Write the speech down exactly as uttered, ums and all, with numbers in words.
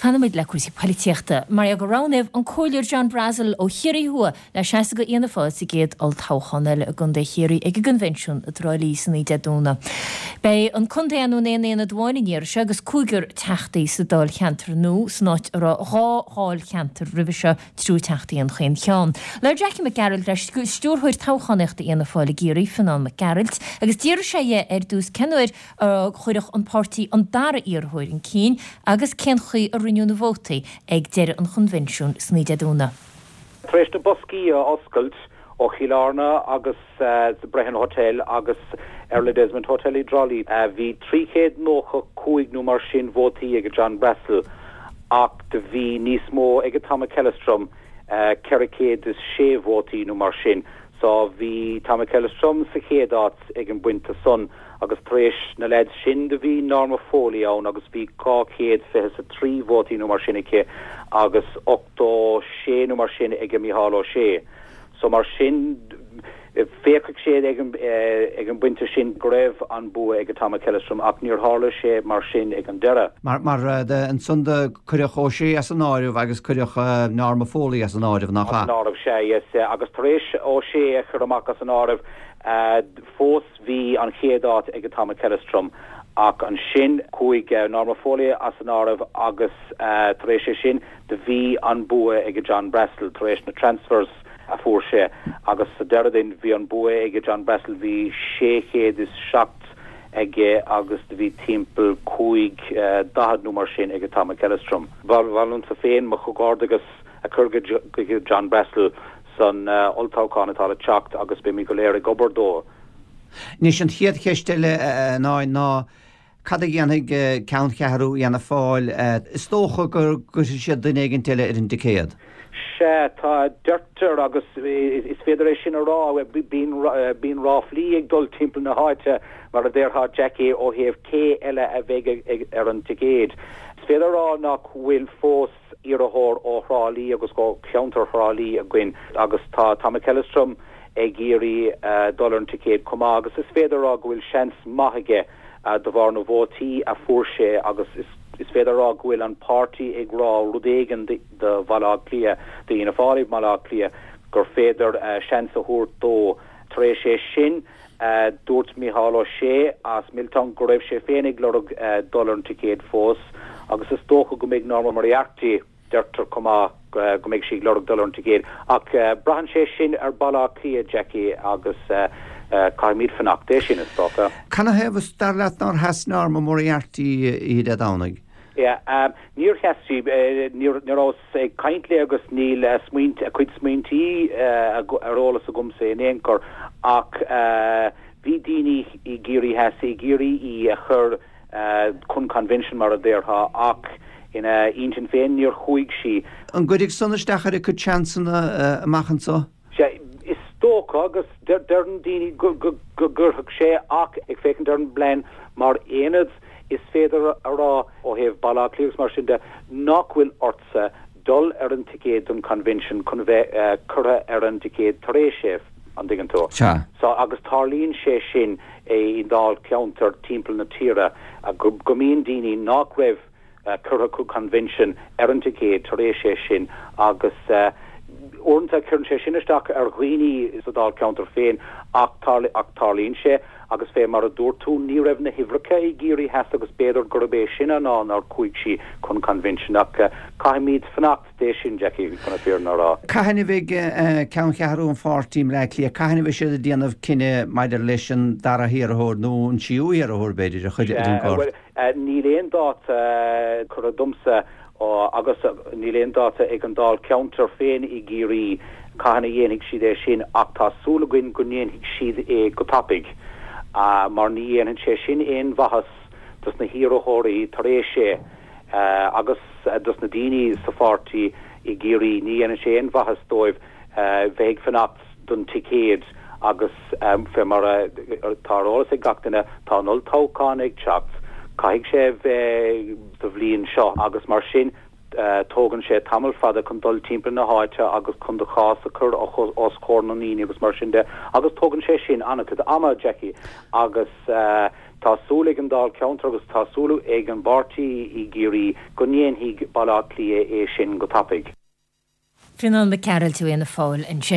Fanfaimid le cúrsaí polaitíochta. Mar gur roghnaíodh an Comhairleoir John Brassil ó Chiarraí Thuaidh le seasamh do Fhianna Fáil sa gcéad olltoghchán eile i gContae Chiarraí ag an gconvention i dTrá Lí san Dé Domhnaigh. Beidh an contae in aon aonad amháin an iarraidh seo agus cúigear teachtaí sa dáilcheantar nua san áit a raibh dhá dháilcheantar roimhe seo triúr teachtaí in chaon cheann. Labhair Jackie Mac Gearailt le stiúrthóir toghchánaíochta Fhianna Fáil i gCiarraí Fionnán Mac Gearailt agus d'iarr sé dhe ar dtús cén uair a chuirfeadh an páirtí an dara iarrthóir chun cinn agus cén chaoi a roinneadh na vótaí ag deireadh an chonvention san Dé Domhnaigh. Tar éis na boscaí a oscailt ó Chill Airne agus uh, the Brehon Hotel agus Erla Desmond Hotel i dTrá Lí. Uh, bhí trí chéad nócha cúig nó mar sin vótaí ag John Brassil ach do bhí níos mó ag Tom McEllistrim uh, ceithre chéad is sé vótaí nó mar sin. So bhí Tom McEllistrim sa chéad áit ag an bpointe san agus tar éis na leid sin do bhí Norma Foley ann agus bhí dhá chéad fiche a trí vótaí nó mar sin aici agus ochtó sé nó mar sin ag Micheál Ó Sé. So mar sin féachadh sé ag an ag an bpointe sin go raibh an bua ag Tom McEllistrim ach níor tharla sé mar sin ag an deireadh. Mar mar ansan do cuireadh Ó Sé as an áireamh agus cuireadh Norma Foley as an áireamh nach an áireamh sé yes, agus tar éis Ó Sé a chur amach as an áireamh fós bhí an chéad áit ag Tom McEllistrim ach ansin chuaigh Norma Foley as an áireamh agus tar éis sé sin do bhí an bua ag John Brassil tar éis na transfers a fuair sé agus sa deireadh bhí an bua ag John Brassil bhí sé chéad is seacht aige agus bhí timpeall cúig daichead nó mar sin ag Tom McEllistrim. Bhal sa féin mo chomhghairdeas agus a chur go John Brassil san uh, olltoghchán atá le teacht agus beimid go léir ag obair dó. Anois an chéad cheist eile ná ná cad a dhéanfaidh ceanncheathrú Fhianna Fáil is dócha gur gcuirfidh siad duine éigin eile ar an dticéad. Sé tá deirtear agus is féidir é sin a rá bíonn bíonn ráflaí ag dul timpeall na háite mar a déarfá Jackie ó thaobh cé eile a bheidh ar an ticéad. Is féidir rá nach bhfuil fós iarrthóir ó Thrá Lí agus go ceantar Thrá Lí againn agus tá Tom McEllistrim ag iarraidh uh, dul ar an ticéad chomh maith agus is féidir rá go bhfuil seans maith aige uh, de bharr na vótaí a fuair sé agus is is féidir rá go bhfuil an páirtí ag rá rud éigin de Bhaile Átha Cliath de Fhianna Fáil Baile Átha Cliath gur féidir uh, seans a thabhairt dó tar éis sé sin uh, dúirt Micheál Ó Sé as Milltown go raibh sé féin ag lorg uh, dul ar an ticéad fós agus is dócha go mbeidh Norma Moriarty deirtear chomh maith go mbeidh sí ag lorg dul ar an ticéad ach uh, braitheann sé sin ar Bhaile Átha Cliath Jackie agus uh, uh, caithfimid fanacht é sin is dócha. Canathaobh dar leat nár sheas Norma Moriarty í Dé Domhnaigh? Yeah, um, níor sheas sí níor rabhas ag caint léi agus níl uh, smaoint a cuid smaointí uh, ar eolas agamsa in aon chor ach uh, bhí daoine i gCiarraí Theas ag iarraidh í a chur uh, chun convention mar a déarfá ach ina intinn féin níor chuaigh sí. An gcuirfidh san isteach ar a cuid seansanna uh, amach anseo? Sé is dócha agus deireann daoine go gcuirfeadh sé ach ag féachaint ar an bplean mar aonad is féidir a rá ó thaobh Baile Átha Cliath mar sin de nach bhfuil ortsa dul ar an ticéad don convention chun bheith uh, curtha ar an ticéad tar éis sé an dtuigeann tú. So agus tarlaíonn sé sin é i ndáilcheantar timpeall na tíre go, go mbíonn daoine nach raibh uh, curtha chun convention ar an ticéad tar éis sé sin agus uh, uaireanta cuireann sé sin isteach ar dhaoine sa dáilcheantar féin ach ach tarlaíonn sé agus fé mar a dúirt tú ní raibh na huimhreacha i gCiarraí Theas agus b'fhéidir gurb é sin an fáth nár chuaigh sí chun convention ach uh, caithfimid fanacht dé sin Jackie chun an fhírinne a rá. Cathain a bheidh ceanncheathrú an pháirtí i mBleá Cliath, cathain a bheidh siad ag déanamh cinneadh maidir leis an dara hiarrthóir nó an tríú hiarrthóir b'fhéidir a chur ar an gcárta. Níl aon dáta curtha domsa agus níl aon dáta ag an dáilcheantar féin i gCiarraí cathain a dhéanfaidh siad é sin ach tá súil againn go ndéanfaidh siad é go tapaidh. Uh, mar ní dhéanann sé sin aon mhaitheas dos na hiarrthóirí tar éis sé uh, agus uh, dos na daoine sa pháirtí i gCiarraí ní dhéanann sé aon mhaitheas dóibh uh, bheith ag fanacht don ticéad agus um, fé mar tá eolas ag gach duine tá an olltoghchán ag teacht caithfidh sé bheith sa bhliain seo agus mar sin Tógann sé tamall fada chun dul timpeall na háite agus chun do chás a chur os comhair na ndaoine agus mar sin de agus tógann sé sin an-chuid ama, Jackie, agus tá súil ag an Dáilcheantar agus tá súil ag an bpáirtí i gCiarraí go ndéanfaidh Baile Átha Cliath é sin go tapaidh. Fionán Mac Gearailt ó Fhianna Fáil ansin.